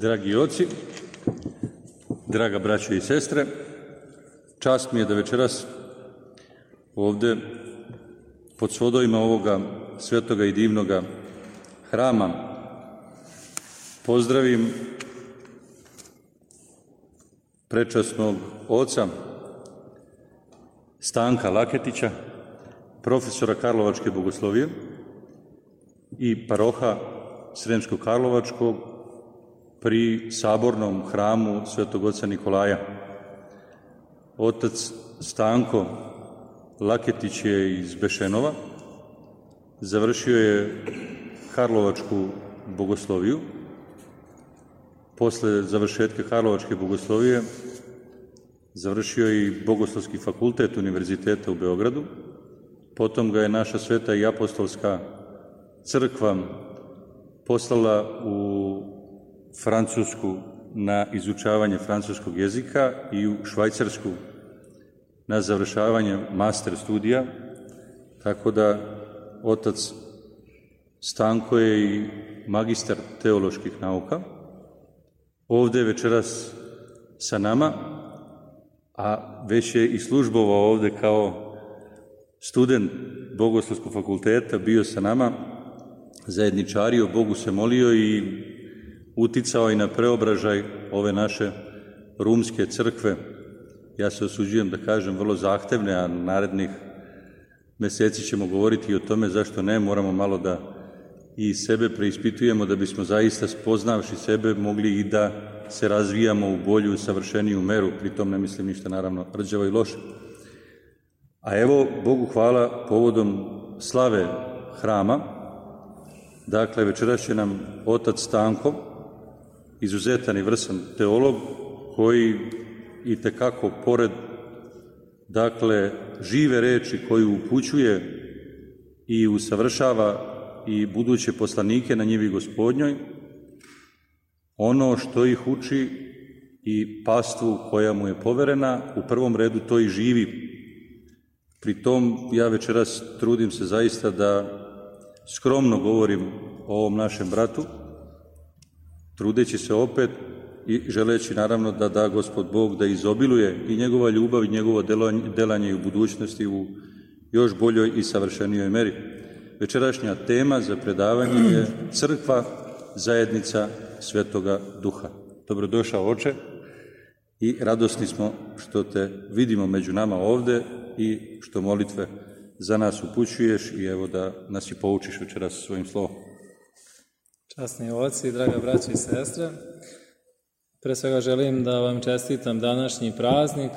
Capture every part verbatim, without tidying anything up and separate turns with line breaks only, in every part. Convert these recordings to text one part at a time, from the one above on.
Dragi oci, draga braćo i sestre, čast mi je da večeras ovdje pod svodovima ovoga svetoga i divnoga hrama pozdravim prečasnog oca Stanka Laketića, profesora Karlovačke bogoslovije i paroha Sremsko-Karlovačkog pri sabornom hramu svetog oca Nikolaja. Otac Stanko Laketić je iz Bešenova, završio je Karlovačku bogosloviju. Posle završetka Karlovačke bogoslovije završio je i Bogoslovski fakultet Univerziteta u Beogradu. Potom ga je naša sveta i apostolska crkva poslala u Francusku na izučavanje francuskog jezika i u Švajcarsku na završavanje master studija, tako da otac Stanko je i magistar teoloških nauka. Ovdje je večeras sa nama, a već je i službovao ovdje kao student Bogoslovskog fakulteta, bio sa nama, zajedničario, Bogu se molio i uticao i na preobražaj ove naše rumske crkve. Ja se osuđujem da kažem vrlo zahtevne, a narednih meseci ćemo govoriti i o tome zašto ne, moramo malo da i sebe preispitujemo da bismo zaista spoznavši sebe mogli i da se razvijamo u bolju, savršeniju meru, pritom ne mislim ništa naravno rđavo i loše. A evo, Bogu hvala, povodom slave hrama, dakle večeras će nam otac Stanko, izuzetan i vrsan teolog, koji i tekako pored, dakle, žive reči koju upućuje i usavršava i buduće poslanike na njivi Gospodnjoj, ono što ih uči i pastvu koja mu je poverena, u prvom redu to i živi. Pri tom ja večeras trudim se zaista da skromno govorim o ovom našem bratu, trudeći se opet i želeći naravno da da Gospod Bog da izobiluje i njegova ljubav i njegovo delanje i u budućnosti u još boljoj i savršenijoj meri. Večerašnja tema za predavanje je Crkva, zajednica Svetoga Duha. Dobrodošao, oče, i radosni smo što te vidimo među nama ovde i što molitve za nas upućuješ i evo da nas i poučiš večeras svojim slovom.
Časni oci, draga braća i sestre, pre svega želim da vam čestitam današnji praznik,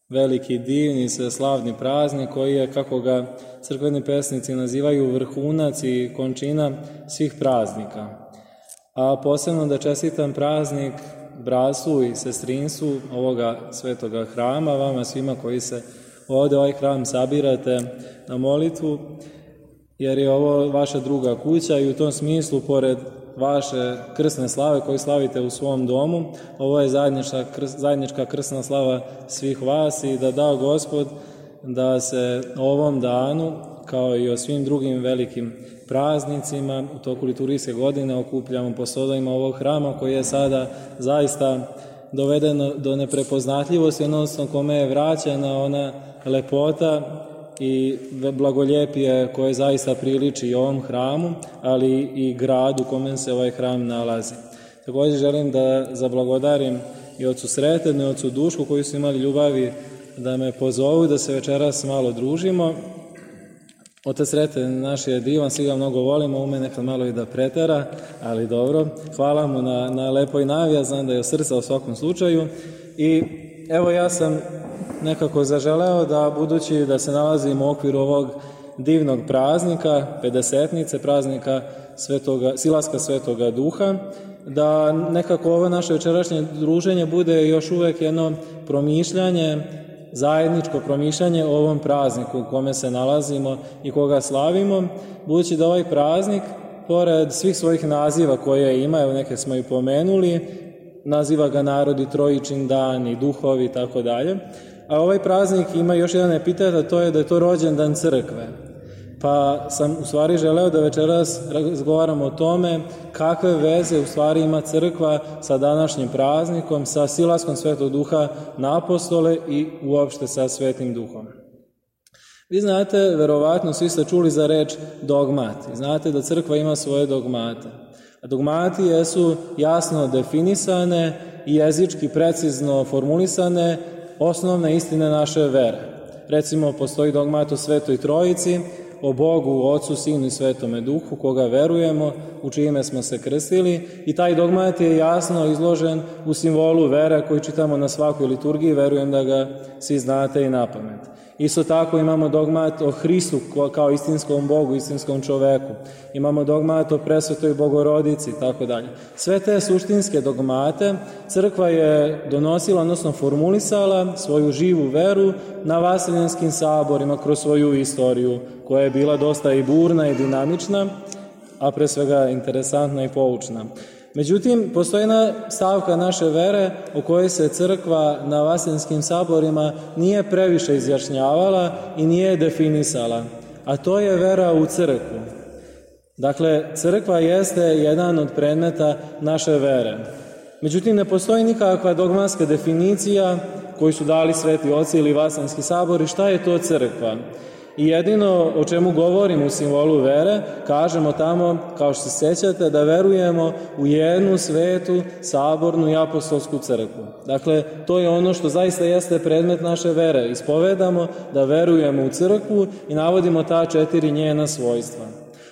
veliki, divni, slavni praznik koji je, kako ga crkveni pesnici nazivaju, vrhunac i končina svih praznika. A posebno da čestitam praznik bratstvu i sestrinstvu ovoga svetoga hrama, vama svima koji se ovdje ovaj hram sabirate na molitvu, jer je ovo vaša druga kuća i u tom smislu, pored vaše krsne slave koju slavite u svom domu, ovo je zajednička, zajednička krsna slava svih vas i da da Gospod da se ovom danu, kao i o svim drugim velikim praznicima, u toku liturgijske godine okupljamo po sodovima ovog hrama koji je sada zaista dovedeno do neprepoznatljivosti, odnosno kome je vraćena ona lepota i blagoljepije koje zaista priliči i ovom hramu, ali i gradu u kome se ovaj hram nalazi. Također želim da zablagodarim i ocu Sretenu i ocu Dušku koji su imali ljubavi da me pozovu da se večeras malo družimo. Otac Sreten naš je divan, svi ga mnogo volimo, ume nekad malo i da pretera, ali dobro. Hvala mu na, na lepoj najavi, ja znam da je od srca u svakom slučaju. I evo ja sam nekako zaželeo da, budući da se nalazimo u okviru ovog divnog praznika, pedesetnice, praznika svetoga, silaska Svetoga Duha, da nekako ovo naše večerašnje druženje bude još uvek jedno promišljanje, zajedničko promišljanje o ovom prazniku u kome se nalazimo i koga slavimo, budući da ovaj praznik, pored svih svojih naziva koje ima, evo neke smo i pomenuli, naziva ga narod i trojičin dan i duhovi i tako dalje, a ovaj praznik ima još jedan epitet, a to je da je to rođendan crkve. Pa sam u stvari želeo da večeras razgovaramo o tome kakve veze u stvari ima crkva sa današnjim praznikom, sa silaskom Svetog Duha na apostole i uopšte sa Svetim Duhom. Vi znate, verovatno svi ste čuli za reč dogmati. Znate da crkva ima svoje dogmate. A dogmati jesu jasno definisane i jezički precizno formulisane osnovne istine naše vere. Recimo, postoji dogmat o Svetoj Trojici, o Bogu, Ocu, Sinu i Svetome Duhu, koga verujemo, u čime smo se krstili, i taj dogmat je jasno izložen u simbolu vere koji čitamo na svakoj liturgiji, verujem da ga svi znate i napamet. Isto tako imamo dogmat o Hristu kao istinskom Bogu, istinskom čoveku. Imamo dogmat o Presvetoj Bogorodici i tako dalje. Sve te suštinske dogmate crkva je donosila, odnosno formulisala svoju živu veru na vaseljenskim saborima kroz svoju istoriju, koja je bila dosta i burna i dinamična, a pre svega interesantna i poučna. Međutim, postoji jedna stavka naše vere o kojoj se crkva na vaseljenskim saborima nije previše izjašnjavala i nije definisala, a to je vera u crkvu. Dakle, crkva jeste jedan od predmeta naše vere. Međutim, ne postoji nikakva dogmatska definicija koju su dali sveti oci ili vaseljenski sabori šta je to crkva. I jedino o čemu govorimo u simbolu vere, kažemo tamo, kao što se sjećate, da verujemo u jednu svetu, sabornu i apostolsku crkvu. Dakle, to je ono što zaista jeste predmet naše vere. Ispovedamo da verujemo u crkvu i navodimo ta četiri njena svojstva.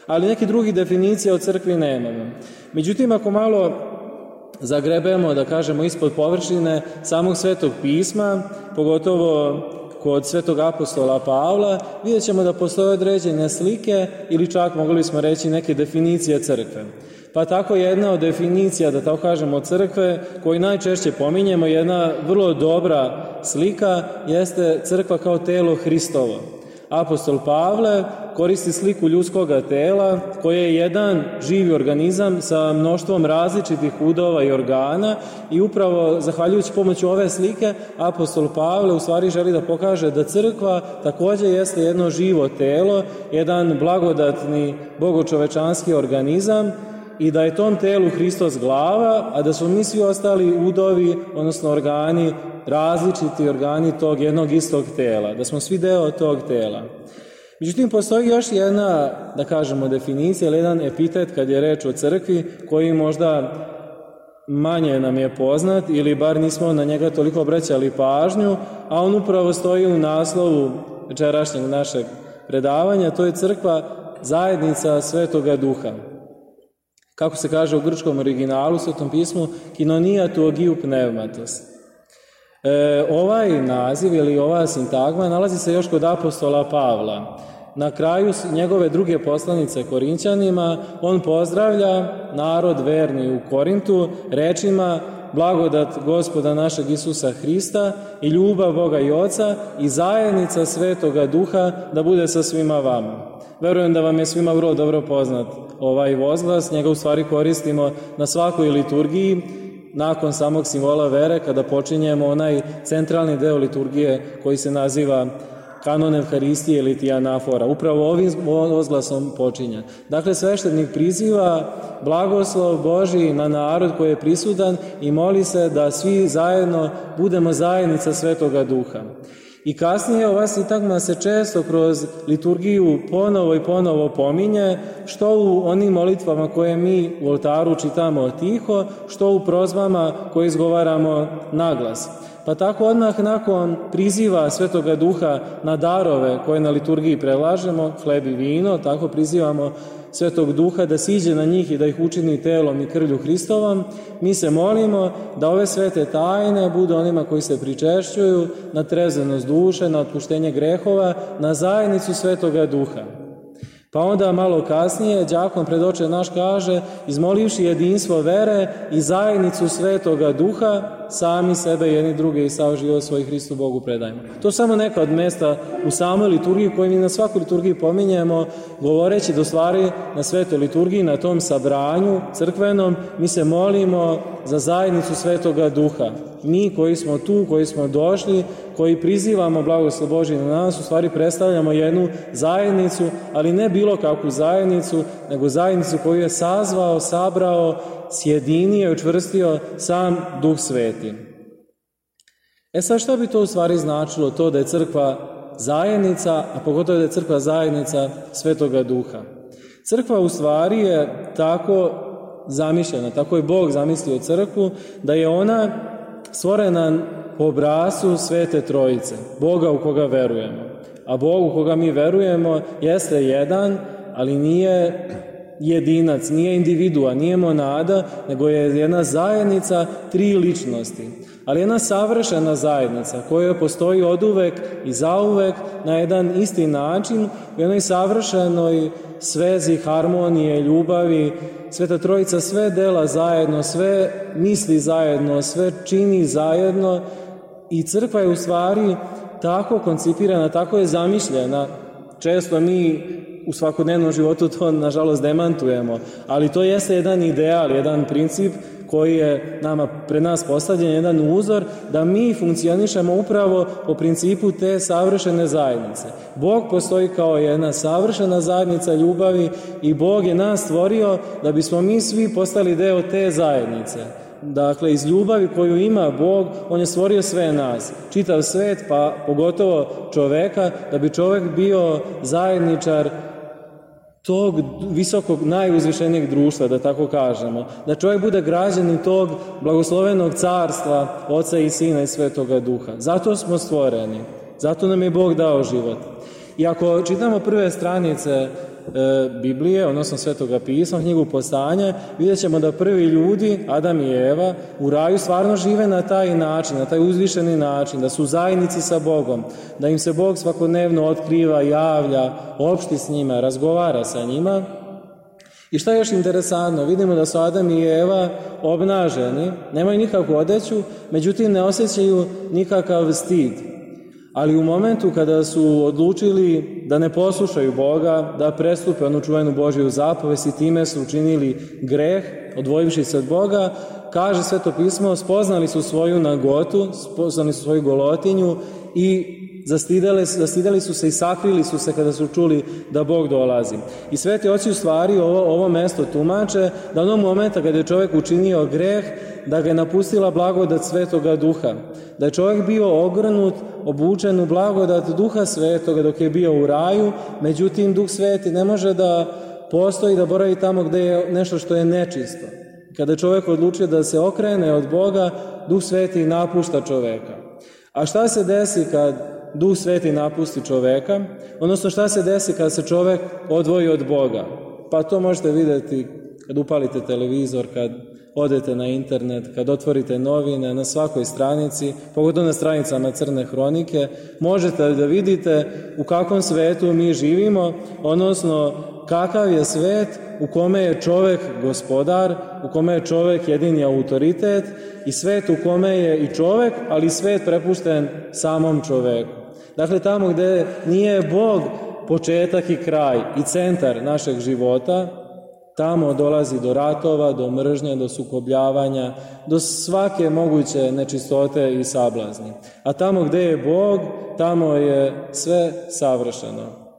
Ali neki drugi definicija o crkvi nemamo. Međutim, ako malo zagrebemo, da kažemo, ispod površine samog Svetog pisma, pogotovo kod Svetog apostola Pavla, vidjet ćemo da postoje određene slike ili čak mogli smo reći neke definicije crkve. Pa tako jedna od definicija, da tako kažemo, crkve koju najčešće pominjemo, jedna vrlo dobra slika, jeste crkva kao telo Hristovo. Apostol Pavle koristi sliku ljudskoga tela koje je jedan živi organizam sa mnoštvom različitih udova i organa i upravo zahvaljujući pomoću ove slike apostol Pavle u stvari želi da pokaže da crkva također jeste jedno živo telo, jedan blagodatni bogočovečanski organizam i da je tom telu Hristos glava, a da su mi svi ostali udovi, odnosno organi, različiti organi tog jednog istog tela, da smo svi deo tog tela. Međutim, postoji još jedna, da kažemo, definicija ili jedan epitet kad je reč o crkvi koji možda manje nam je poznat ili bar nismo na njega toliko obraćali pažnju, a on upravo stoji u naslovu večerašnjeg našeg predavanja, to je crkva zajednica Svetoga Duha. Kako se kaže u grčkom originalu, u Svetom pismu, kinonija tu ogiju pneumatos. E, ovaj naziv ili ova sintagma nalazi se još kod apostola Pavla. Na kraju njegove druge poslanice Korinćanima on pozdravlja narod verni u Korintu rečima: blagodat Gospoda našeg Isusa Hrista i ljubav Boga i Oca i zajednica Svetoga Duha da bude sa svima vama. Verujem da vam je svima vrlo dobro poznat ovaj vozglas, njega u stvari koristimo na svakoj liturgiji, nakon samog simbola vere, kada počinjemo onaj centralni deo liturgije koji se naziva kanon Evharistije ili ti anafora. Upravo ovim vozglasom počinje. Dakle, sveštenik priziva blagoslov Božji na narod koji je prisutan i moli se da svi zajedno budemo zajednica Svetoga Duha. I kasnije ova sintagma se često kroz liturgiju ponovo i ponovo pominje, što u onim molitvama koje mi u oltaru čitamo tiho, što u prozbama koje izgovaramo naglas. Pa tako odmah nakon priziva Svetoga Duha na darove koje na liturgiji predlažemo, hleb i vino, tako prizivamo Svetog Duha da siđe na njih i da ih učini telom i krvlju Hristovom, mi se molimo da ove svete tajne budu onima koji se pričešćuju na trezvenost duše, na otpuštenje grehova, na zajednicu Svetoga Duha. Pa onda malo kasnije đakon pred oče naš kaže: izmolivši jedinstvo vere i zajednicu Svetoga Duha, sami sebe jedni druge i sav život svoj Hristu Bogu predajmo. To samo neka od mesta u samoj liturgiji koju mi na svakoj liturgiji pominjemo, govoreći da u stvari na svetoj liturgiji, na tom sabranju crkvenom, mi se molimo za zajednicu Svetoga Duha. Mi koji smo tu, koji smo došli, koji prizivamo blagoslov Božji na nas, u stvari predstavljamo jednu zajednicu, ali ne bilo kakvu zajednicu, nego zajednicu koju je sazvao, sabrao, sjedinio i učvrstio sam Duh Sveti. E sad, što bi to u stvari značilo, to da je crkva zajednica, a pogotovo da je crkva zajednica Svetoga Duha? Crkva u stvari je tako zamišljena, tako je Bog zamislio crkvu, da je ona stvorena po obrascu Svete Trojice, Boga u koga verujemo. A Bog u koga mi verujemo jeste jedan, ali nije jedinac, nije individua, nije monada, nego je jedna zajednica tri ličnosti. Ali jedna savršena zajednica koja postoji oduvek i zauvek na jedan isti način, u jednoj savršenoj svezi, harmonije, ljubavi. Sveta Trojica sve dela zajedno, sve misli zajedno, sve čini zajedno i crkva je u stvari tako koncipirana, tako je zamišljena. Često mi u svakodnevnom životu to nažalost demantujemo, ali to jeste jedan ideal, jedan princip koji je nama, pred nas postavljen, jedan uzor da mi funkcionišemo upravo po principu te savršene zajednice. Bog postoji kao jedna savršena zajednica ljubavi i Bog je nas stvorio da bismo mi svi postali deo te zajednice. Dakle, iz ljubavi koju ima Bog, On je stvorio sve nas, čitav svet, pa pogotovo čoveka, da bi čovek bio zajedničar tog visokog, najuzvišenijeg društva, da tako kažemo. Da čovjek bude građanin tog blagoslovenog carstva Oca i Sina i Svetoga Duha. Zato smo stvoreni. Zato nam je Bog dao život. I ako čitamo prve stranice e, Biblije, odnosno Svetoga pisma, knjigu Postanja, vidjet ćemo da prvi ljudi, Adam i Eva, u raju stvarno žive na taj način, na taj uzvišeni način, da su u zajednici sa Bogom, da im se Bog svakodnevno otkriva, javlja, opšti s njima, razgovara sa njima. I šta je još interesantno? Vidimo da su Adam i Eva obnaženi, nemaju nikakvu odeću, međutim ne osjećaju nikakav stid. Ali u momentu kada su odlučili da ne poslušaju Boga, da prestupe onu čuvenu Božju zapovest i time su učinili greh, odvojivši se od Boga, kaže Sveto pismo, spoznali su svoju nagotu, spoznali su svoju golotinju i zastidali, zastidali su se i sakrili su se kada su čuli da Bog dolazi. I sveti oci u stvari ovo, ovo mesto tumače da onog momenta kada je čovjek učinio greh, da ga je napustila blagodat Svetoga Duha. Da je čovjek bio ogrnut, obučen u blagodat Duha Svetoga dok je bio u raju, međutim Duh Sveti ne može da postoji, da boravi tamo gde je nešto što je nečisto. Kada je čovjek odlučio da se okrene od Boga, Duh Sveti napušta čoveka. A šta se desi kad Duh Sveti napusti čoveka? Odnosno šta se desi kad se čovek odvoji od Boga? Pa to možete vidjeti kad upalite televizor, kad odete na internet, kad otvorite novine, na svakoj stranici, pogotovo na stranicama Crne hronike, možete da vidite u kakvom svetu mi živimo, odnosno kakav je svet u kome je čovek gospodar, u kome je čovek jedini autoritet i svet u kome je i čovek, ali svet prepušten samom čoveku. Dakle, tamo gde nije Bog početak i kraj i centar našeg života, tamo dolazi do ratova, do mržnje, do sukobljavanja, do svake moguće nečistote i sablazni. A tamo gde je Bog, tamo je sve savršeno.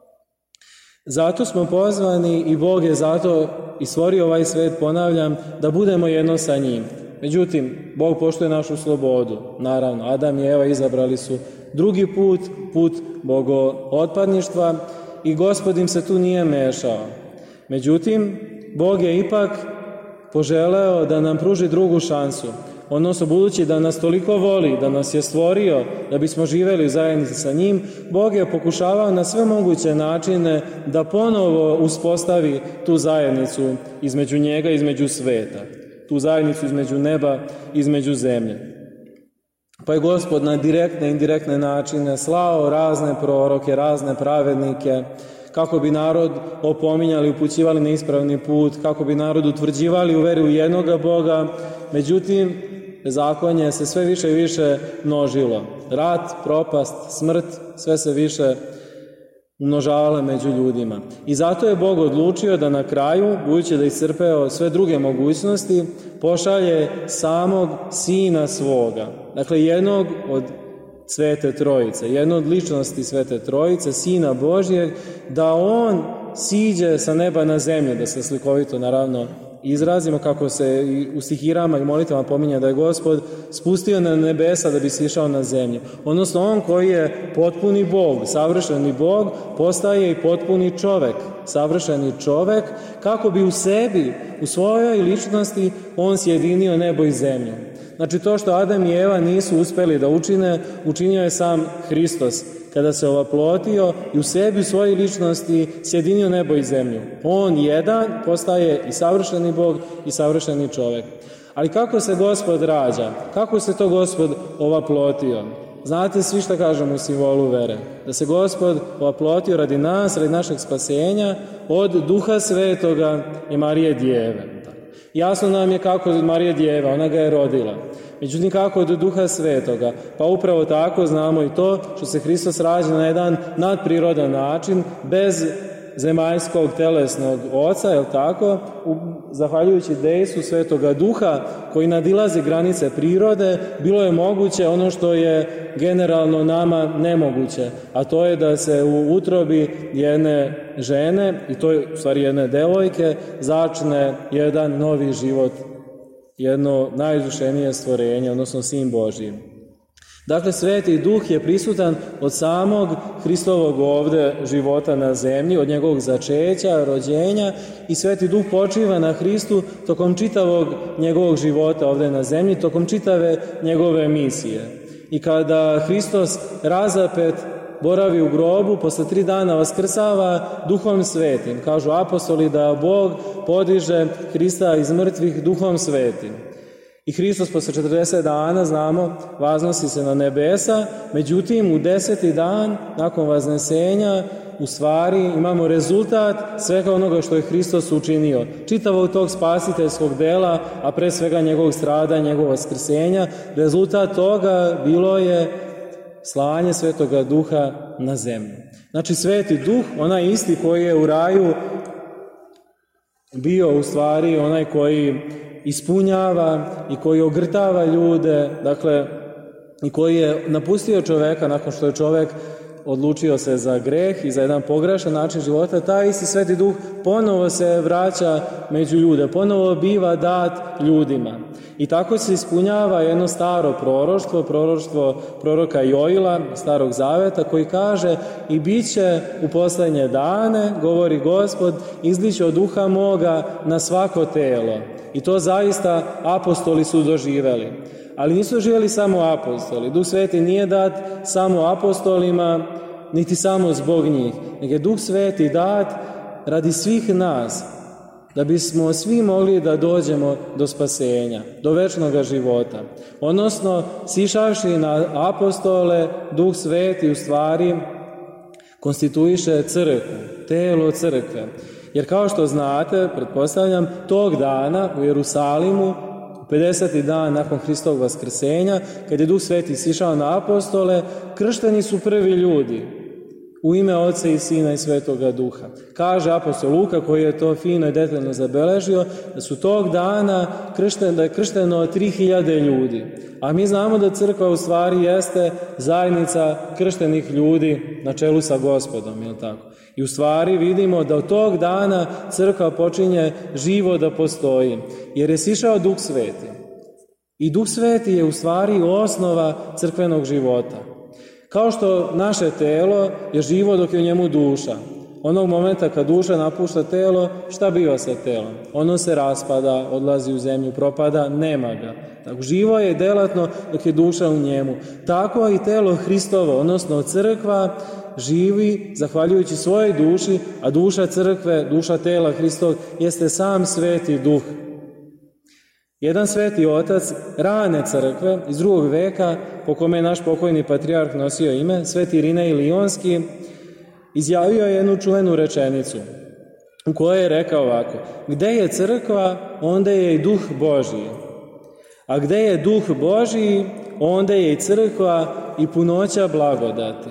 Zato smo pozvani i Bog je zato i stvorio ovaj svet, ponavljam, da budemo jedno sa njim. Međutim, Bog poštuje našu slobodu. Naravno, Adam i Eva izabrali su drugi put, put bogootpadništva i Gospod im se tu nije mešao. Međutim, Bog je ipak poželeo da nam pruži drugu šansu. Odnosno, budući da nas toliko voli, da nas je stvorio, da bismo živeli u zajednici sa njim, Bog je pokušavao na sve moguće načine da ponovo uspostavi tu zajednicu između njega i između sveta. Tu zajednicu između neba i između zemlje. Pa je Gospod na direktne i indirektne načine slao razne proroke, razne pravednike, kako bi narod opominjali, upućivali na ispravni put, kako bi narod utvrđivali u veri u jednoga Boga. Međutim, bezakonje se sve više i više množilo. Rat, propast, smrt, sve se više umnožavala među ljudima. I zato je Bog odlučio da na kraju, budući da je iscrpeo sve druge mogućnosti, pošalje samog Sina svoga. Dakle, jednog od Svete Trojice, jednu od ličnosti Svete Trojice, Sina Božjeg, da on siđe sa neba na zemlju, da se slikovito naravno izrazimo, kako se i u stihirama i molitvama pominje da je Gospod spustio na nebesa da bi sišao na zemlju. Odnosno, on koji je potpuni Bog, savršeni Bog, postaje i potpuni čovek, savršeni čovek, kako bi u sebi, u svojoj ličnosti, on sjedinio nebo i zemlju. Znači, to što Adam i Eva nisu uspeli da učine, učinio je sam Hristos, kada se ovaplotio i u sebi, u svojoj ličnosti, sjedinio nebo i zemlju. On jedan postaje i savršeni Bog i savršeni čovek. Ali kako se Gospod rađa? Kako se to Gospod ovaplotio? Znate svi šta kažemo u simbolu vere. Da se Gospod ovaplotio radi nas, radi našeg spasenja, od Duha Svetoga i Marije Djeve. Jasno nam je kako od Marije Djeva, ona ga je rodila. Međutim, kako od Duha Svetoga? Pa upravo tako znamo i to što se Hristos rađa na jedan nadprirodan način, bez zemaljskog telesnog oca, je li tako? U, zahvaljujući dejstvu Svetoga Duha koji nadilazi granice prirode, bilo je moguće ono što je generalno nama nemoguće, a to je da se u utrobi jedne žene, i to je u stvari jedne devojke, začne jedan novi život, jedno najizdušenije stvorenje, odnosno Sin Božji. Dakle, Sveti Duh je prisutan od samog Hristovog ovde života na zemlji, od njegovog začeća, rođenja, i Sveti Duh počiva na Hristu tokom čitavog njegovog života ovde na zemlji, tokom čitave njegove misije. I kada Hristos razapet boravi u grobu, posle tri dana vaskrsava Duhom Svetim. Kažu apostoli da Bog podiže Hrista iz mrtvih Duhom Svetim. I Hristos posle četrdeset dana, znamo, vaznosi se na nebesa, međutim u deseti dan, nakon vaznesenja, u stvari imamo rezultat svega onoga što je Hristos učinio. Čitavog tog spasiteljskog dela, a pre svega njegovog stradanja, njegovog vaskrsenja, rezultat toga bilo je slanje Svetoga Duha na zemlju. Znači, Sveti Duh, onaj isti koji je u raju bio u stvari onaj koji ispunjava i koji ogrtava ljude, dakle, i koji je napustio čoveka nakon što je čovek odlučio se za greh i za jedan pogrešan način života, taj isti Sveti Duh ponovo se vraća među ljude, ponovo biva dat ljudima. I tako se ispunjava jedno staro proroštvo, proroštvo proroka Joila, Starog Zaveta, koji kaže: i bit će u poslednje dane, govori Gospod, izliće od duha moga na svako telo. I to zaista apostoli su doživeli. Ali nisu doživeli samo apostoli. Duh Sveti nije dat samo apostolima, niti samo zbog njih, nego je Duh Sveti dat radi svih nas, da bismo svi mogli da dođemo do spasenja, do večnog života. Odnosno, sišavši na apostole, Duh Sveti u stvari konstituiše crkvu, telo crkve. Jer kao što znate, pretpostavljam, tog dana u Jerusalimu, pedeseti dan nakon Hristovog vaskrsenja, kad je Duh Sveti sišao na apostole, kršteni su prvi ljudi u ime Oca i Sina i Svetoga Duha. Kaže apostol Luka, koji je to fino i detaljno zabeležio, da su tog dana kršten, da je kršteno tri hiljade ljudi. A mi znamo da crkva u stvari jeste zajednica krštenih ljudi na čelu sa Gospodom, je li tako? I u stvari vidimo da od tog dana crkva počinje živo da postoji, jer je sišao Duh Sveti. I Duh Sveti je u stvari osnova crkvenog života. Kao što naše telo je živo dok je u njemu duša. Onog momenta kad duša napušta telo, šta biva sa telom? Ono se raspada, odlazi u zemlju, propada, nema ga. Tako, živo je delatno dok je duša u njemu. Tako i telo Hristovo, odnosno crkva, živi zahvaljujući svojoj duši, a duša crkve, duša tela Hristovog, jeste sam Sveti Duh. Jedan sveti otac rane crkve iz drugog veka, po kome je naš pokojni patrijarh nosio ime, Sveti Irinej Lionski, izjavio je jednu čuvenu rečenicu u kojoj je rekao ovako: gde je crkva, onda je i Duh Božji, a gde je Duh Božji, onda je i crkva i punoća blagodati.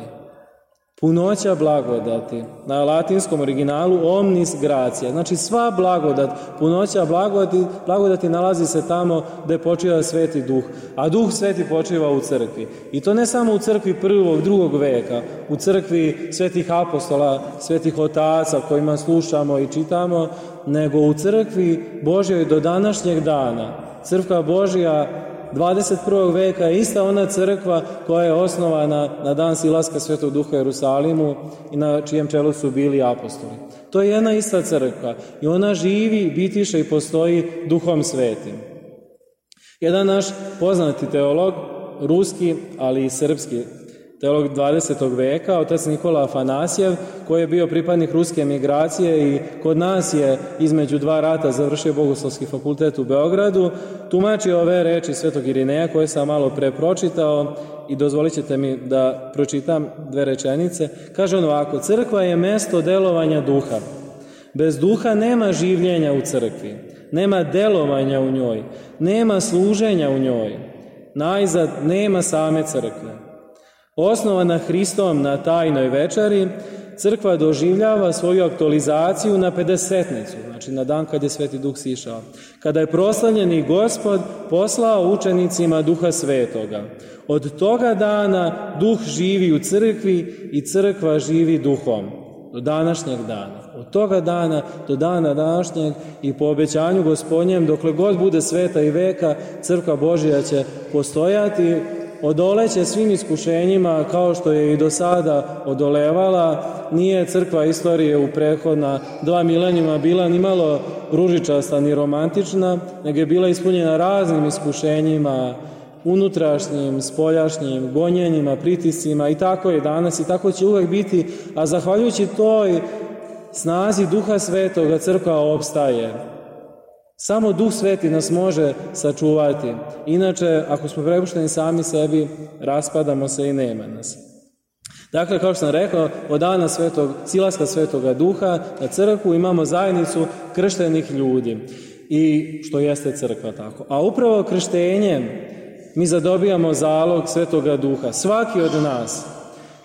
Punoća blagodati, na latinskom originalu omnis gratia, znači sva blagodat, punoća blagodati, blagodati nalazi se tamo gde počiva Sveti Duh, a Duh Sveti počiva u crkvi. I to ne samo u crkvi prvog, drugog veka, u crkvi svetih apostola, svetih otaca kojima slušamo i čitamo, nego u crkvi Božjoj do današnjeg dana. Crkva Božja dvadeset prvog veka je ista ona crkva koja je osnovana na dan silaska Svetog Duha u Jerusalimu i na čijem čelu su bili apostoli. To je jedna ista crkva i ona živi, bitiše i postoji Duhom Svetim. Jedan naš poznati teolog, ruski, ali i srpski teolog dvadesetog veka, otac Nikola Afanasjev, koji je bio pripadnik ruske emigracije i kod nas je između dva rata završio Bogoslovski fakultet u Beogradu, tumači ove reči Svetog Irineja koje sam malo pre pročitao i dozvolit ćete mi da pročitam dve rečenice. Kaže on ovako: crkva je mesto delovanja duha. Bez duha nema življenja u crkvi, nema delovanja u njoj, nema služenja u njoj, najzad nema same crkve. Osnovana Hristom na tajnoj večeri, crkva doživljava svoju aktualizaciju na pedesetnicu, znači na dan kad je Sveti Duh sišao, kada je proslavljeni Gospod poslao učenicima Duha Svetoga. Od toga dana Duh živi u crkvi i crkva živi Duhom. Do današnjeg dana. Od toga dana do dana današnjeg i po obećanju Gospodnjem, dokle god bude sveta i veka, crkva Božja će postojati, odoleće svim iskušenjima kao što je i do sada odolevala. Nije crkva istorije u prethodna dva milenijuma bila ni malo ružičasta ni romantična, nego je bila ispunjena raznim iskušenjima, unutrašnjim, spoljašnjim, gonjenjima, pritiscima i tako je danas i tako će uvek biti, a zahvaljujući toj snazi Duha Svetoga crkva opstaje. Samo Duh Sveti nas može sačuvati. Inače, ako smo prepušteni sami sebi, raspadamo se i nema nas. Dakle, kao što sam rekao, od dana svetog, silaska Svetoga Duha na crkvu imamo zajednicu krštenih ljudi. I što jeste crkva tako. A upravo krštenjem mi zadobijamo zalog Svetoga Duha. Svaki od nas.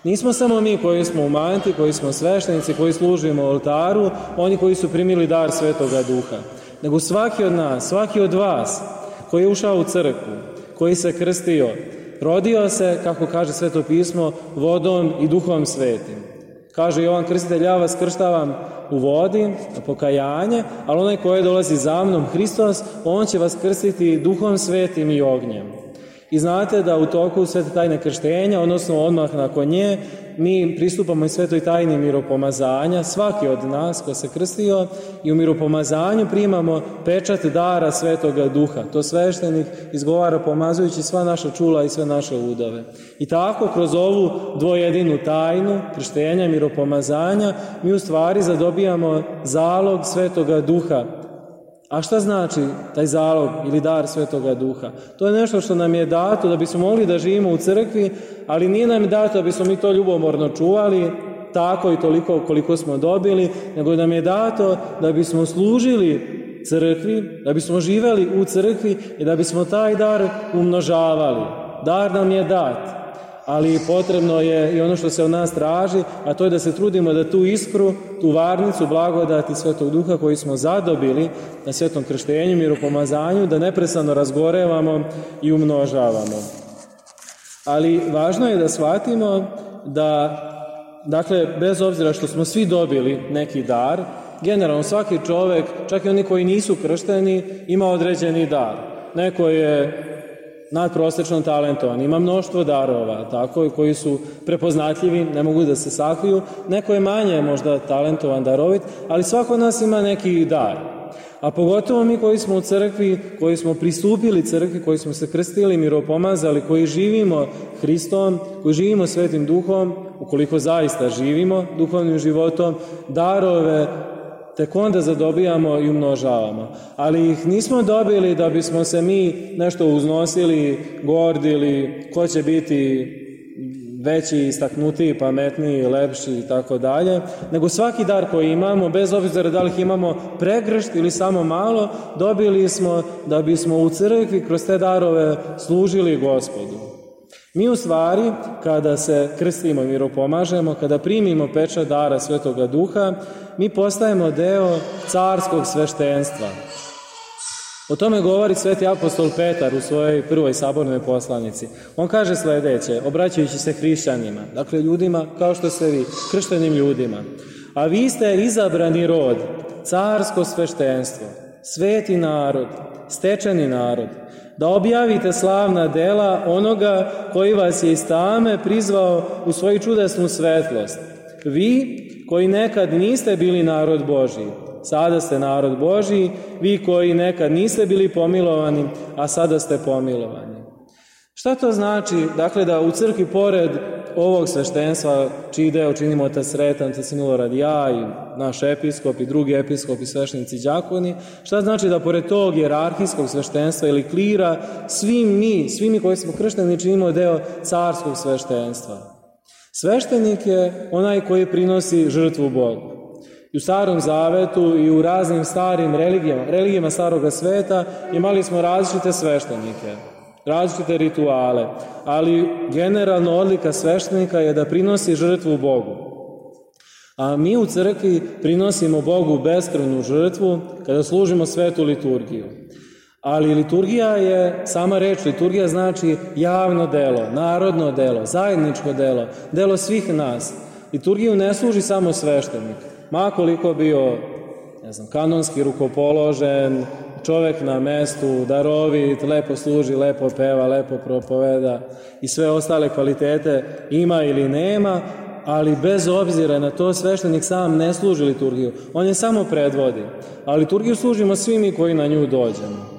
Nismo samo mi koji smo u manti, koji smo sveštenici, koji služimo oltaru, oni koji su primili dar Svetoga Duha. Nego svaki od nas, svaki od vas koji je ušao u crkvu, koji se krstio, rodio se, kako kaže Sveto pismo, vodom i Duhom Svetim. Kaže Jovan Krstitelj: ja vas krštavam u vodi, na pokajanje, ali onaj koji dolazi za mnom, Hristos, on će vas krstiti Duhom Svetim i ognjem. I znate da u toku svete tajne krštenja, odnosno odmah nakon nje, mi pristupamo i svetoj tajni miropomazanja, svaki od nas ko se krstio, i u miropomazanju primamo pečat dara Svetoga Duha. To sveštenik izgovara pomazujući sva naša čula i sve naše udove. I tako kroz ovu dvojedinu tajnu krštenja, miropomazanja, mi u stvari zadobijamo zalog Svetoga Duha. A šta znači taj zalog ili dar Svetoga Duha? To je nešto što nam je dato da bismo mogli da živimo u crkvi, ali nije nam dato da bismo mi to ljubomorno čuvali, tako i toliko koliko smo dobili, nego nam je dato da bismo služili crkvi, da bismo živeli u crkvi i da bismo taj dar umnožavali. Dar nam je dat, ali potrebno je i ono što se od nas traži, a to je da se trudimo da tu iskru, tu varnicu blagodati Svetog Duha koji smo zadobili na svetom krštenju, miropomazanju, da neprestano razgorevamo i umnožavamo. Ali važno je da shvatimo da, dakle, bez obzira što smo svi dobili neki dar, generalno svaki čovek, čak i oni koji nisu kršteni, ima određeni dar. Neko je nadprosečno talentovan, ima mnoštvo darova, tako, koji su prepoznatljivi, ne mogu da se sakriju. Neko je manje možda talentovan, darovit, ali svako od nas ima neki dar. A pogotovo mi koji smo u crkvi, koji smo pristupili crkvi, koji smo se krstili, miropomazali, koji živimo Hristom, koji živimo Svetim Duhom, ukoliko zaista živimo duhovnim životom, darove tek onda zadobijamo i umnožavamo. Ali ih nismo dobili da bismo se mi nešto uznosili, gordili, ko će biti veći, istaknutiji, pametniji, lepši i tako dalje, nego svaki dar koji imamo, bez obzira da li ih imamo pregršt ili samo malo, dobili smo da bismo u crkvi kroz te darove služili Gospodu. Mi u stvari, kada se krstimo i miropomažemo, kada primimo pečat dara Svetoga Duha, mi postajemo deo carskog sveštenstva. O tome govori sveti apostol Petar u svojoj prvoj sabornoj poslanici. On kaže sledeće, obraćajući se hrišćanima, dakle ljudima kao što ste vi, krštenim ljudima. A vi ste izabrani rod, carsko sveštenstvo, sveti narod, stečeni narod, da objavite slavna dela onoga koji vas je iz tame prizvao u svoju čudesnu svetlost. Vi koji nekad niste bili narod Božji, sada ste narod Božji, vi koji nekad niste bili pomilovani, a sada ste pomilovani. Šta to znači? Dakle, da u crkvi pored ovog sveštenstva, čiji deo činimo otac Sretan, otac Milorad, ja i naš episkop i drugi episkop i sveštenici đakoni, šta znači da pored tog jerarhijskog sveštenstva ili klira, svi mi, svi mi koji smo kršteni činimo deo carskog sveštenstva? Sveštenik je onaj koji prinosi žrtvu Bogu. I u Starom Zavetu i u raznim starim religijama, religijama Staroga sveta imali smo različite sveštenike, različite rituale, ali generalno odlika sveštenika je da prinosi žrtvu Bogu. A mi u crkvi prinosimo Bogu beskrvnu žrtvu kada služimo svetu liturgiju. Ali liturgija je, sama reč liturgija znači javno delo, narodno delo, zajedničko delo, delo svih nas. Liturgiju ne služi samo sveštenik, ma koliko bio, ne znam, kanonski rukopoložen, čovek na mestu, darovit, lepo služi, lepo peva, lepo propoveda i sve ostale kvalitete ima ili nema, ali bez obzira na to sveštenik sam ne služi liturgiju. On je samo predvodi, a liturgiju služimo svi mi koji na nju dođemo.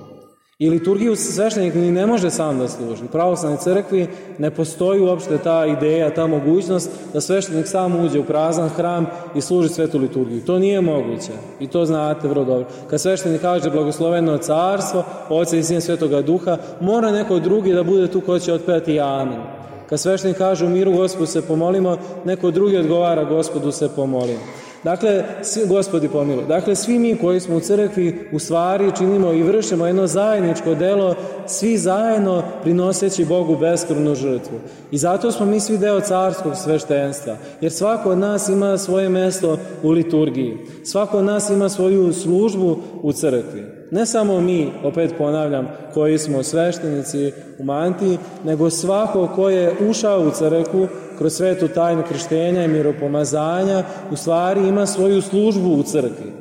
I liturgiju sveštenik ni ne može sam da služi. U pravoslavnoj crkvi ne postoji uopšte ta ideja, ta mogućnost da sveštenik sam uđe u prazan hram i služi svetu liturgiju. To nije moguće i to znate vrlo dobro. Kad sveštenik kaže blagosloveno carstvo, Oca i Sina Svetoga Duha, mora neko drugi da bude tu ko će otpevati amen. Kad sveštenik kaže u miru Gospodu se pomolimo, neko drugi odgovara Gospodu se pomolimo. Dakle, Gospodi pomiluj. Dakle, svi mi koji smo u crkvi u stvari činimo i vršimo jedno zajedničko delo, svi zajedno prinoseći Bogu beskrvnu žrtvu. I zato smo mi svi deo carskog sveštenstva, jer svako od nas ima svoje mesto u liturgiji. Svako od nas ima svoju službu u crkvi. Ne samo mi, opet ponavljam, koji smo sveštenici u mantiji, nego svako ko je ušao u crkvu kroz svetu tajnu krštenja i miropomazanja, u stvari ima svoju službu u crkvi.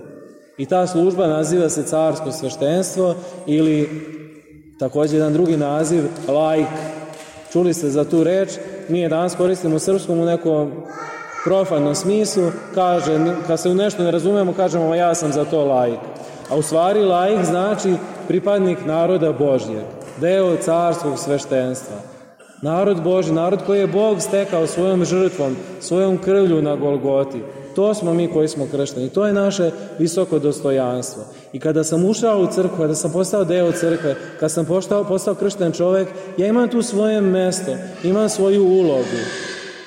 I ta služba naziva se carsko sveštenstvo ili također jedan drugi naziv, laik. Čuli ste za tu reč, mi je danas koristimo u srpskom u nekom profanom smislu, kaže, kad se u nešto ne razumemo, kažemo ja sam za to laik. A u stvari laik znači pripadnik naroda Božjeg, deo carskog sveštenstva. Narod Božji, narod koji je Bog stekao svojom žrtvom, svojom krvlju na Golgoti. To smo mi koji smo kršteni. To je naše visoko dostojanstvo. I kada sam ušao u crkvu, kada sam postao deo crkve, kada sam postao, postao kršten čovek, ja imam tu svoje mesto, imam svoju ulogu.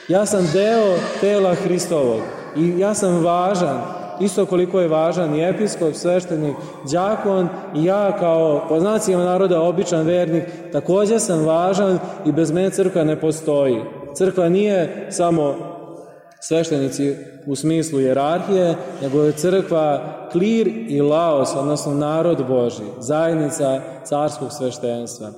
Ja sam deo tela Hristovog i ja sam važan, isto koliko je važan i episkop, sveštenik, đakon i ja kao po znacima naroda običan vernik, također sam važan i bez mene crkva ne postoji. Crkva nije samo sveštenici u smislu jerarhije, nego je crkva klir i laos, odnosno narod Božji, zajednica carskog sveštenstva.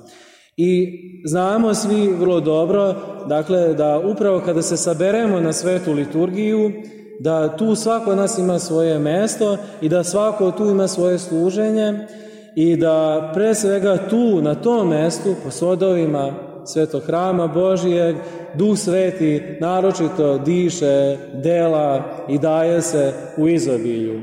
I znamo svi vrlo dobro, dakle, da upravo kada se saberemo na svetu liturgiju, da tu svako od nas ima svoje mesto i da svako tu ima svoje služenje i da pre svega tu, na tom mestu, po svodovima svetog hrama Božijeg, Duh Sveti naročito diše, dela i daje se u izobilju.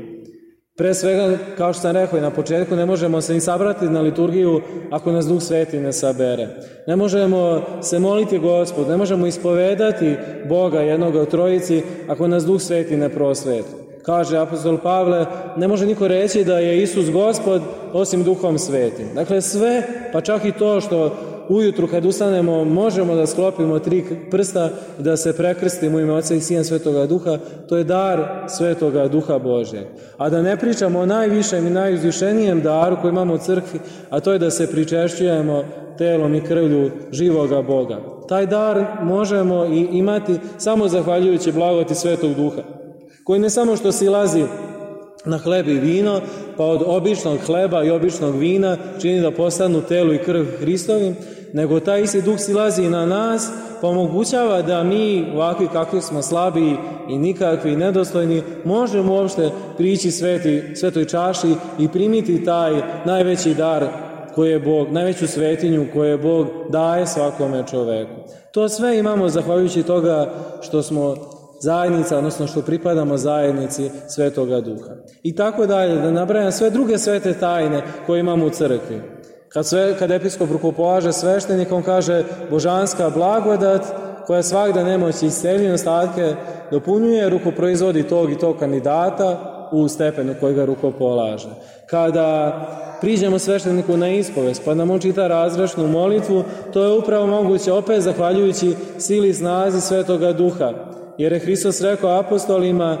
Pre svega, kao što sam rekao i na početku, ne možemo se ni sabrati na liturgiju ako nas Duh Sveti ne sabere. Ne možemo se moliti Gospodu, ne možemo ispovedati Boga jednoga u trojici ako nas Duh Sveti ne prosveti. Kaže apostol Pavle, ne može niko reći da je Isus Gospod osim Duhom Svetim. Dakle, sve, pa čak i to što ujutru kad ustanemo možemo da sklopimo tri prsta i da se prekrstimo u ime Oca i Sina Svetoga Duha, to je dar Svetoga Duha Božjeg. A da ne pričamo o najvišem i najuzvišenijem daru koji imamo u crkvi, a to je da se pričešćujemo telom i krvlju živoga Boga. taj dar možemo i imati samo zahvaljujući blagodati Svetog Duha, koji ne samo što silazi na hleb i vino, pa od običnog hleba i običnog vina čini da postanu telo i krv Hristovim, nego taj isti Duh silazi na nas, pa omogućava da mi, ovakvi kakvi smo slabi i nikakvi nedostojni, možemo uopšte prići sveti, svetoj čaši i primiti taj najveći dar koji je Bog, najveću svetinju koju Bog daje svakome čoveku. To sve imamo zahvaljujući toga što smo zajednica, odnosno što pripadamo zajednici Svetoga Duha. I tako dalje, da nabrajam sve druge svete tajne koje imamo u crkvi. Kad, sve, kad episkop rukopolaže sveštenikom, kaže božanska blagodat koja svagda nemoći isceljenja ostatke dopunjuje, rukoproizvodi tog i tog kandidata u stepenu koji ga rukopolaže. Kada priđemo svešteniku na ispovest, pa nam on čita razrešnu molitvu, to je upravo moguće opet zahvaljujući sili i snazi Svetoga Duha. Jer je Hristos rekao apostolima,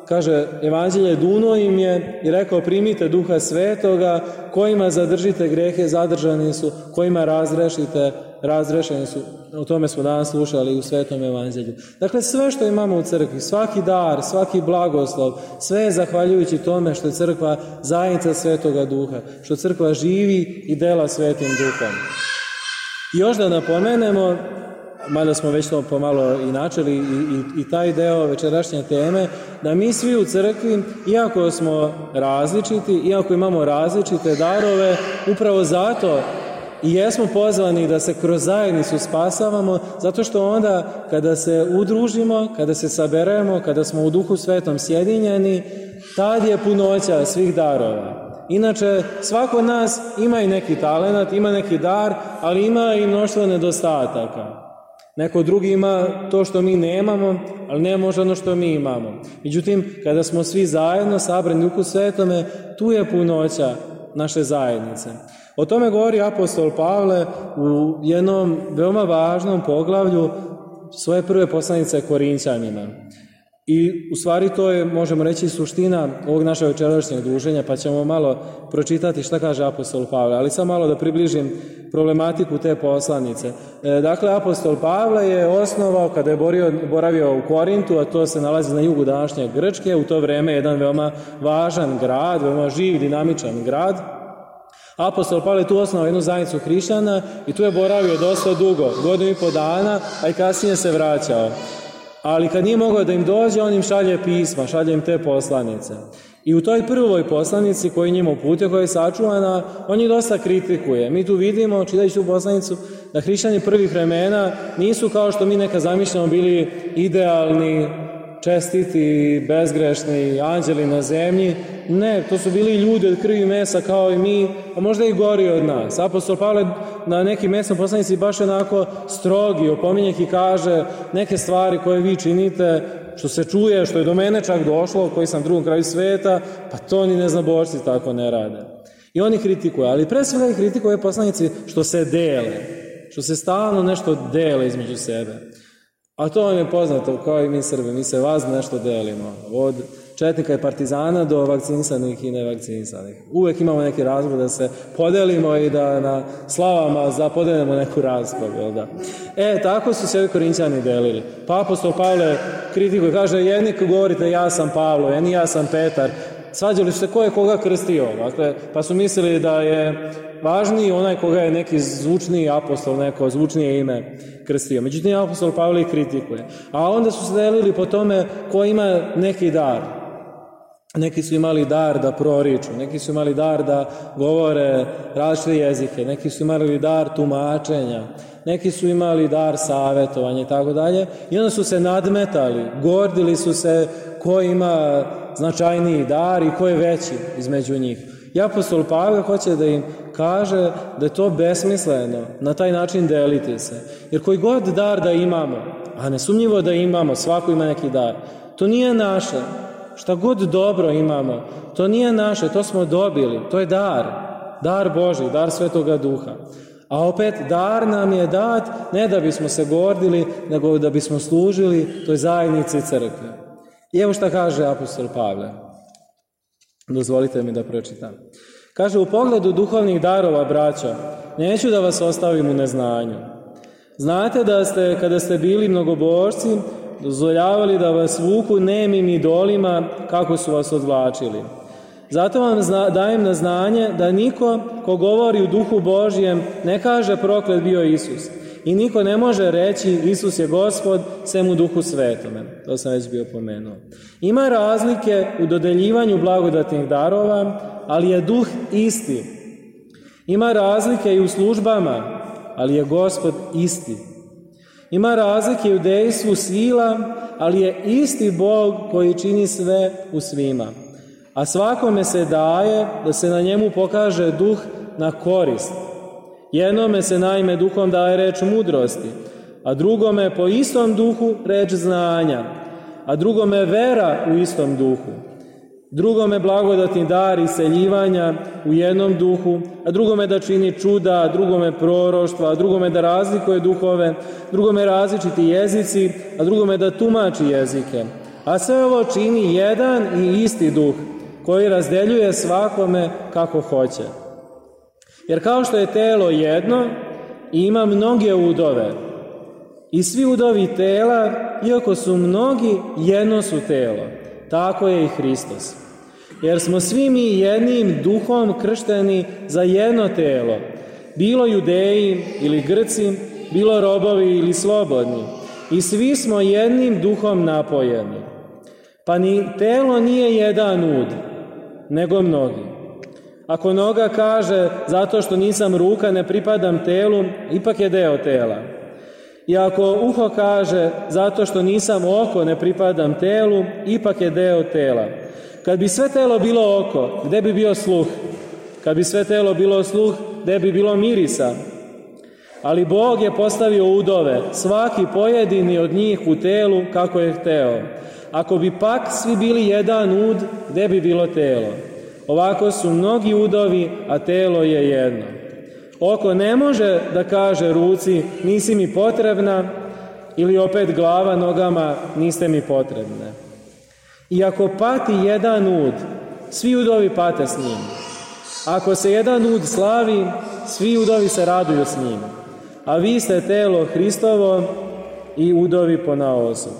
kaže, evanđelje duno im je i rekao, primite Duha Svetoga, kojima zadržite grehe, zadržani su, kojima razrešite, razrešeni su. O tome smo danas slušali u Svetom evanđelju. Dakle, sve što imamo u crkvi, svaki dar, svaki blagoslov, sve je zahvaljujući tome što je crkva zajednica Svetoga Duha, što crkva živi i dela Svetim Duhom. I još da napomenemo, mada smo već to pomalo i načeli i, i, i taj deo večerašnje teme, da mi svi u crkvi, iako smo različiti, iako imamo različite darove, upravo zato i jesmo pozvani da se kroz zajednicu spasavamo, zato što onda kada se udružimo, kada se saberemo, kada smo u Duhu Svetom sjedinjeni, tad je punoća svih darova. Inače, svako od nas ima i neki talenat, ima neki dar, ali ima i mnoštvo nedostataka. Neko drugi ima to što mi nemamo, ali ne može ono što mi imamo. Međutim, kada smo svi zajedno sabrani u Duhu Svetome, tu je punoća naše zajednice. O tome govori apostol Pavle u jednom veoma važnom poglavlju svoje prve poslanice Korinćanima. I u stvari to je, možemo reći, suština ovog našeg večerašnjeg druženja, pa ćemo malo pročitati šta kaže apostol Pavle, ali samo malo da približim problematiku te poslanice. E, dakle, apostol Pavle je osnovao, kada je borio, boravio u Korintu, a to se nalazi na jugu današnje Grčke, u to vreme jedan veoma važan grad, veoma živ, dinamičan grad. Apostol Pavle je tu osnovao jednu zajednicu hrišćana i tu je boravio dosta dugo, godinu i po dana, a i kasnije se vraćao. Ali kad nije mogao da im dođe, on im šalje pisma, šalje im te poslanice. I u toj prvoj poslanici koju njima uputio, koja je sačuvana, on ih dosta kritikuje. Mi tu vidimo, čitajući tu poslanicu, da hrišćani prvih vremena nisu kao što mi neka zamišljamo bili idealni, čestiti, bezgrešni, anđeli na zemlji. Ne, to su bili ljudi od krvi i mesa kao i mi, a možda i gori od nas. Apostol Pavle na nekim mesnom poslanici baš onako strogi, opominje ih i kaže neke stvari koje vi činite, što se čuje, što je do mene čak došlo, koji sam drugom kraju sveta, pa to ni neznabošci tako ne rade. I oni kritikuju, ali pre svega ih kritikuju poslanici što se dele, što se stalno nešto dele između sebe. A to vam je poznato, kao i mi Srbi, mi se vas nešto delimo, od četnika i partizana do vakcinisanih i nevakcinisanih. Uvek imamo neki razlog da se podelimo i da na slavama zapodelimo neku raspravu, jel da? E, tako su se ovi Korinćani delili. Pa apostol Pavle kritikuje, kaže, jedni govorite ja sam Pavlo, jedni ja sam Petar. Svađali su se ko je koga krstio, dakle, pa su mislili da je važniji onaj koga je neki zvučniji apostol, neko zvučnije ime krstio. Međutim, apostol Pavle kritikuje. A onda su se delili po tome ko ima neki dar. Neki su imali dar da proriču, neki su imali dar da govore različite jezike, neki su imali dar tumačenja, neki su imali dar savjetovanja i tako dalje. I onda su se nadmetali, gordili su se ko ima značajniji dar i ko je veći između njih. I apostol Pavle hoće da im kaže da je to besmisleno na taj način deliti se. Jer koji god dar da imamo, a nesumnjivo da imamo, svako ima neki dar, to nije naše. Šta god dobro imamo, to nije naše, to smo dobili, to je dar, dar Božji, dar Svetoga Duha. A opet, dar nam je dat ne da bismo se gordili, nego da bismo služili toj zajednici crkve. I evo šta kaže apostol Pavle. Dozvolite mi da pročitam. Kaže, u pogledu duhovnih darova, braćo, neću da vas ostavim u neznanju. Znate da ste, kada ste bili mnogobožci, dozvoljavali da vas vuku nemim idolima kako su vas odvlačili. Zato vam zna, dajem na znanje da niko ko govori u duhu Božjem ne kaže proklet bio Isus. I niko ne može reći Isus je Gospod sem u duhu svetome. To sam već bio pomenuo. Ima razlike u dodeljivanju blagodatnih darova, ali je duh isti. Ima razlike i u službama, ali je Gospod isti. Ima razlike i u dejstvu sila, ali je isti Bog koji čini sve u svima. A svakome se daje da se na njemu pokaže duh na korist. Jednome se naime duhom daje reč mudrosti, a drugome po istom duhu reč znanja, a drugome vera u istom duhu. Drugome blagodatni dar iseljivanja u jednom duhu, a drugome da čini čuda, a drugome proroštva, a drugome da razlikuje duhove, drugome različiti jezici, a drugome da tumači jezike. A sve ovo čini jedan i isti duh, koji razdeljuje svakome kako hoće. Jer kao što je telo jedno i ima mnoge udove, i svi udovi tela, iako su mnogi, jedno su telo. Tako je i Hristos. Jer smo svi mi jednim duhom kršteni za jedno telo, bilo Judeji ili Grci, bilo robovi ili slobodni, i svi smo jednim duhom napojeni. Pa ni telo nije jedan ud, nego mnogi. Ako noga kaže, zato što nisam ruka, ne pripadam telu, ipak je deo tela. I ako uho kaže, zato što nisam oko, ne pripadam telu, ipak je deo tela. Kad bi sve telo bilo oko, gde bi bio sluh? Kad bi sve telo bilo sluh, gde bi bilo mirisa? Ali Bog je postavio udove, svaki pojedini od njih u telu kako je hteo. Ako bi pak svi bili jedan ud, gde bi bilo telo? Ovako su mnogi udovi, a telo je jedno. Oko ne može da kaže ruci, nisi mi potrebna, ili opet glava nogama, niste mi potrebne. I ako pati jedan ud, svi udovi pate s njim. Ako se jedan ud slavi, svi udovi se raduju s njim. A vi ste telo Hristovo i udovi ponaosob.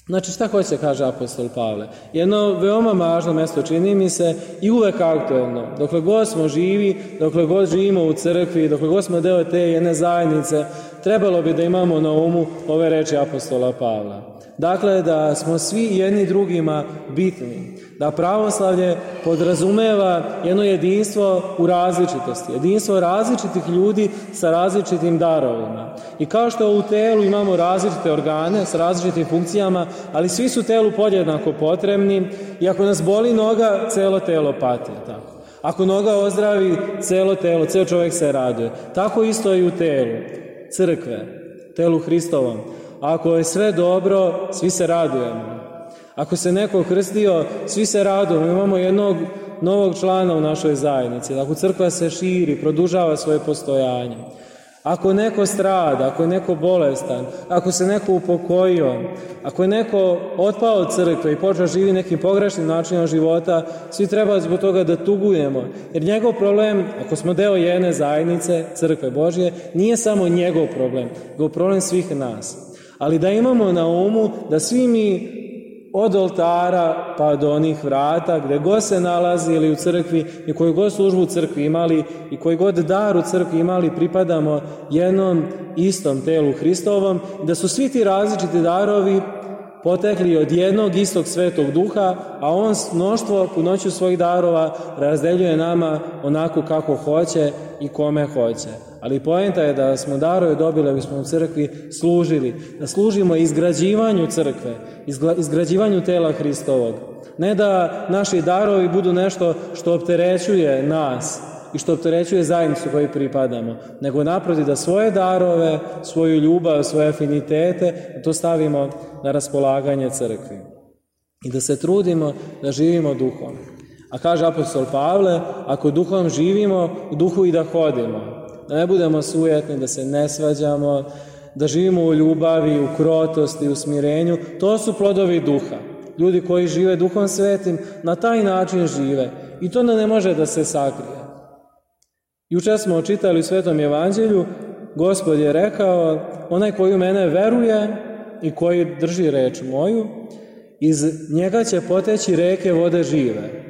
Znači, šta hoće, kaže apostol Pavle? Jedno veoma važno mesto, čini mi se, i uvek aktuelno. Dokle god smo živi, dokle god živimo u crkvi, dokle god smo deo te jedne zajednice, trebalo bi da imamo na umu ove reči apostola Pavla. Dakle, da smo svi jedni drugima bitni. Da pravoslavlje podrazumeva jedno jedinstvo u različitosti. Jedinstvo različitih ljudi sa različitim darovima. I kao što u telu imamo različite organe sa različitim funkcijama, ali svi su telu podjednako potrebni i ako nas boli noga, celo telo pati. Tako. Ako noga ozdravi, celo telo, ceo čovjek se raduje. Tako isto i u telu crkve, telu Hristovom. Ako je sve dobro, svi se radujemo. Ako se neko krstio, svi se radujemo. Imamo jednog novog člana u našoj zajednici. Ako crkva se širi, produžava svoje postojanje. Ako neko strada, ako je neko bolestan, ako se neko upokojio, ako je neko otpao od crkve i počeo živi nekim pogrešnim načinom života, svi treba zbog toga da tugujemo. Jer njegov problem, ako smo deo jedne zajednice, crkve Božje, nije samo njegov problem, nego problem svih nas. Ali da imamo na umu da svi mi od oltara pa do onih vrata, gde god se nalazili u crkvi i koju god službu u crkvi imali i koji god dar u crkvi imali, pripadamo jednom istom telu Hristovom, da su svi ti različiti darovi potekli od jednog istog svetog duha, a on mnoštvo punoću svojih darova razdeljuje nama onako kako hoće i kome hoće. Ali poenta je da smo darove dobili, da bismo u crkvi služili, da služimo izgrađivanju crkve, izgrađivanju tela Hristovog. Ne da naši darovi budu nešto što opterećuje nas i što opterećuje zajednicu kojoj pripadamo, nego naprotiv da svoje darove, svoju ljubav, svoje afinitete, to stavimo na raspolaganje crkvi. I da se trudimo da živimo duhom. A kaže apostol Pavle, ako duhom živimo, u duhu i da hodimo. Da ne budemo sujetni, da se ne svađamo, da živimo u ljubavi, u krotosti, u smirenju. To su plodovi duha. Ljudi koji žive duhom svetim, na taj način žive. I to ne može da se sakrije. Juče smo čitali u Svetom evanđelju Gospod je rekao, onaj koji u mene veruje i koji drži reč moju, iz njega će poteći reke vode žive.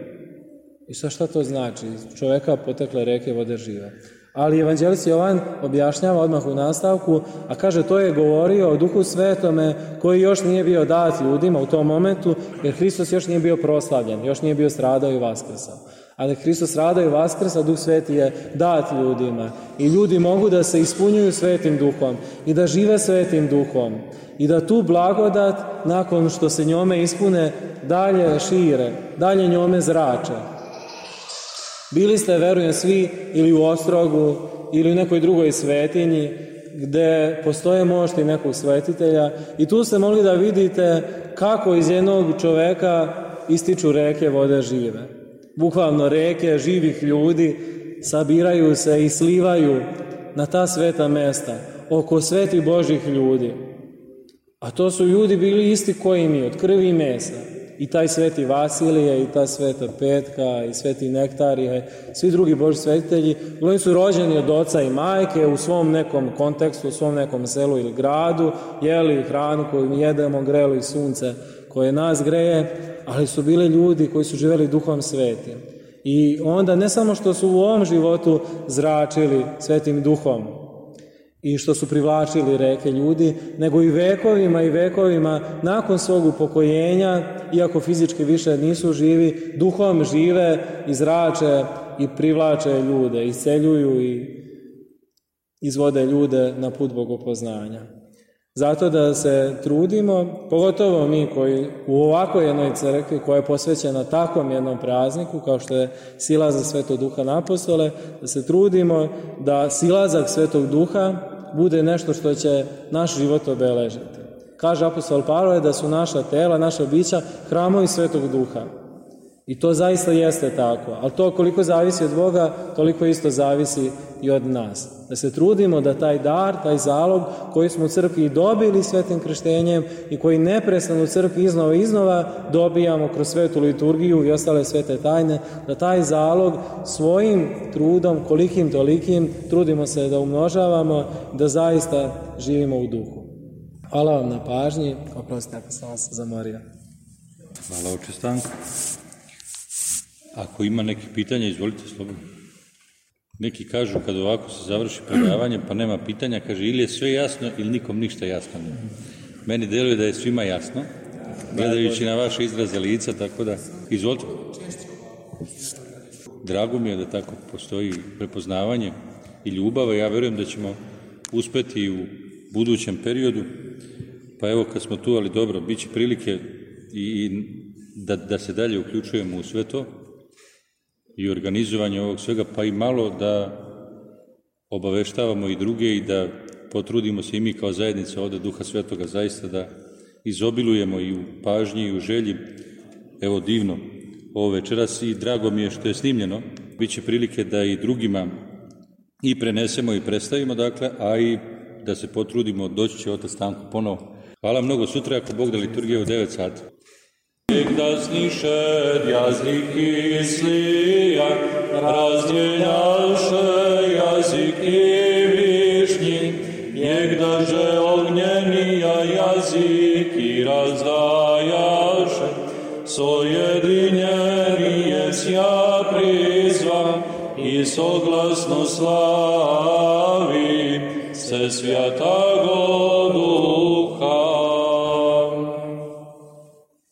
I sad šta to znači? Iz čoveka potekle reke vode žive. Ali evanđelist Jovan objašnjava odmah u nastavku, a kaže to je govorio o Duhu Svetome koji još nije bio dat ljudima u tom momentu, jer Hristos još nije bio proslavljen, još nije bio stradao i vaskrsao. Ali Hristos stradao i vaskrsao, Duh Sveti je dat ljudima i ljudi mogu da se ispunjuju Svetim Duhom i da žive Svetim Duhom i da tu blagodat, nakon što se njome ispune, dalje šire, dalje njome zrače. Bili ste, verujem, svi ili u Ostrogu ili u nekoj drugoj svetinji gde postoje mošti nekog svetitelja i tu ste mogli da vidite kako iz jednog čoveka ističu reke vode žive. Bukvalno reke živih ljudi sabiraju se i slivaju na ta sveta mesta oko svetih Božih ljudi. A to su ljudi bili isti koji mi, od krvi i mesa. I taj sveti Vasilije, i ta sveta Petka, i sveti Nektarije, svi drugi Božji svetitelji, oni su rođeni od oca i majke u svom nekom kontekstu, u svom nekom selu ili gradu, jeli hranu koju mi jedemo, greli sunce koje nas greje, ali su bili ljudi koji su živjeli Duhom Svetim. I onda ne samo što su u ovom životu zračili Svetim Duhom i što su privlačili reke ljudi, nego i vekovima i vekovima nakon svog upokojenja, iako fizički više nisu živi, duhom žive i zrače i privlače ljude, isceljuju i izvode ljude na put bogopoznanja. Zato da se trudimo, pogotovo mi koji u ovakvoj jednoj crkvi koja je posvećena takvom jednom prazniku kao što je silazak Svetog Duha na apostole, da se trudimo da silazak Svetog Duha bude nešto što će naš život obeležiti. Kaže apostol Pavle da su naša tela, naša bića hramovi Svetog Duha. I to zaista jeste tako. Ali to koliko zavisi od Boga, toliko isto zavisi i od nas. Da se trudimo da taj dar, taj zalog koji smo u crkvi dobili svetim krštenjem i koji neprestano u crkvi iznova i iznova dobijamo kroz svetu liturgiju i ostale svete tajne, da taj zalog svojim trudom, kolikim tolikim, trudimo se da umnožavamo, da zaista živimo u duhu. Hvala vam na pažnji. Oprostite ako sam vas zamorio.
Hvala oče Stanko. Ako ima neke pitanja, izvolite slobodno. Neki kažu kad ovako se završi predavanje pa nema pitanja, kaže ili je sve jasno ili nikom ništa jasno nema. Meni deluje da je svima jasno, gledajući na vaše izraze lica, tako da izvolite. Drago mi je da tako postoji prepoznavanje i ljubav, ja verujem da ćemo uspeti u budućem periodu, pa evo kad smo tu, ali dobro, bit će prilike i da, da se dalje uključujemo u sve to i organizovanje ovog svega, pa i malo da obaveštavamo i druge i da potrudimo se i mi kao zajednica ovde Duha Svetoga zaista da izobilujemo i u pažnji i u želji. Evo divno ovo večeras i drago mi je što je snimljeno. Biće prilike da i drugima i prenesemo i predstavimo, dakle, a i da se potrudimo, doći će otac Stanko ponovo. Hvala mnogo, sutra ako Bog da liturgija u devet sati.
Da sniše jaziki slija, razdjeljaše jaziki višnji, njegdaže ognjenija jaziki razdajaše, sojedinjenije sja prizva i soglasno slavi se svjatago Duha.